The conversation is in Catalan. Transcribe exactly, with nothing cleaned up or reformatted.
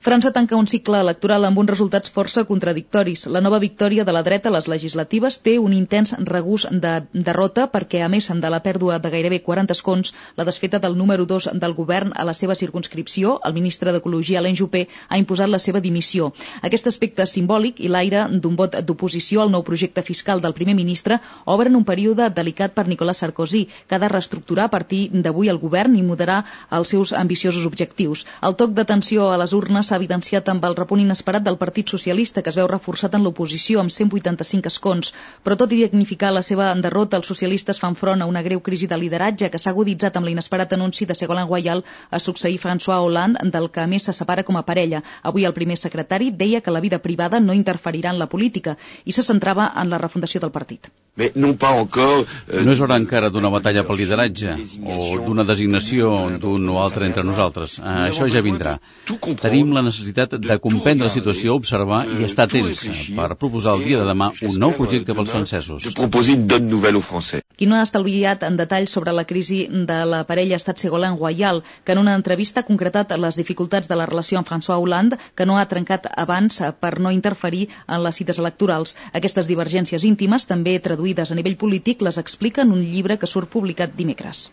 França tanca un cicle electoral amb uns resultats força contradictoris. La nova victòria de la dreta a les legislatives té un intens regús de derrota perquè, a més de la pèrdua de gairebé quaranta escons, la desfeta del número dos del govern a la seva circumscripció, el ministre d'Ecologia, Alain Juppé, ha imposat la seva dimissió. Aquest aspecte simbòlic i l'aire d'un vot d'oposició al nou projecte fiscal del primer ministre obren un període delicat per Nicolas Sarkozy, que ha de reestructurar a partir d'avui el govern i moderar els seus ambiciosos objectius. El toc d'atenció a les urnes s'ha evidenciat amb el repunt inesperat del Partit Socialista, que es veu reforçat en l'oposició amb cent vuitanta-cinc escons. Però tot i dignificar la seva derrota, els socialistes fan front a una greu crisi de lideratge que s'ha aguditzat amb l'inesperat anunci de Ségolène Royal a succeir François Hollande, del que a més se separa com a parella. Avui el primer secretari deia que la vida privada no interferirà en la política i se centrava en la refundació del partit. No és hora encara d'una batalla pel lideratge o d'una designació d'un o altre entre nosaltres. Això ja vindrà. Tenim la necessitat de comprendre la situació, observar i estar atents per proposar el dia de demà un nou projecte pels francesos. Qui no ha estalviat en detall sobre la crisi de la parella ha estat Ségolène Royal, que en una entrevista ha concretat les dificultats de la relació amb François Hollande, que no ha trencat abans per no interferir en les cites electorals. Aquestes divergències íntimes, també traduïdes a nivell polític, les explica en un llibre que surt publicat dimecres.